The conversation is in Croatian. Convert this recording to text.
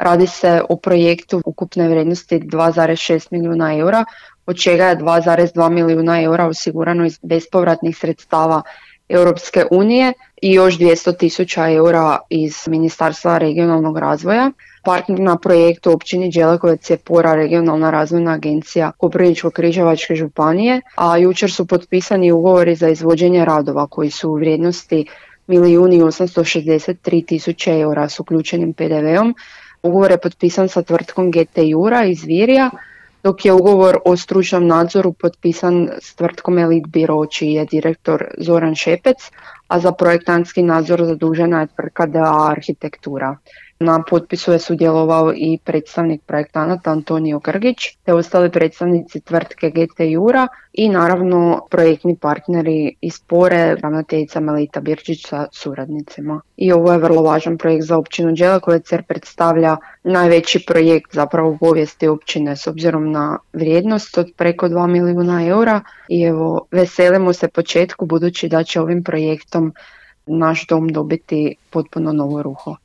Radi se o projektu ukupne vrijednosti 2,6 milijuna eura, od čega je 2,2 milijuna eura osigurano iz bespovratnih sredstava Europske unije i još 200.000 eura iz Ministarstva regionalnog razvoja. Partner na projektu općini Đelekovec je PORA, regionalna razvojna agencija Koprivničko-križevačke županije, a jučer su potpisani ugovori za izvođenje radova koji su u vrijednosti 1.863.000 eura s uključenim PDV-om. Ugovor je potpisan sa tvrtkom GT Jura iz Virja, dok je ugovor o stručnom nadzoru potpisan s tvrtkom Elite Biro, čiji je direktor Zoran Šepec, a za projektantski nadzor zadužena je tvrtka DA Arhitektura. Na potpisu je sudjelovao i predstavnik projektanata Antonio Grgić, te ostali predstavnici tvrtke GT Jura i naravno projektni partneri iz PORE, ravnateljica Melita Birčić sa suradnicima. I ovo je vrlo važan projekt za općinu Đelekovec jer predstavlja najveći projekt zapravo u povijesti općine s obzirom na vrijednost od preko 2 milijuna eura i evo veselimo se početku budući da će ovim projektom naš dom dobiti potpuno novo ruho.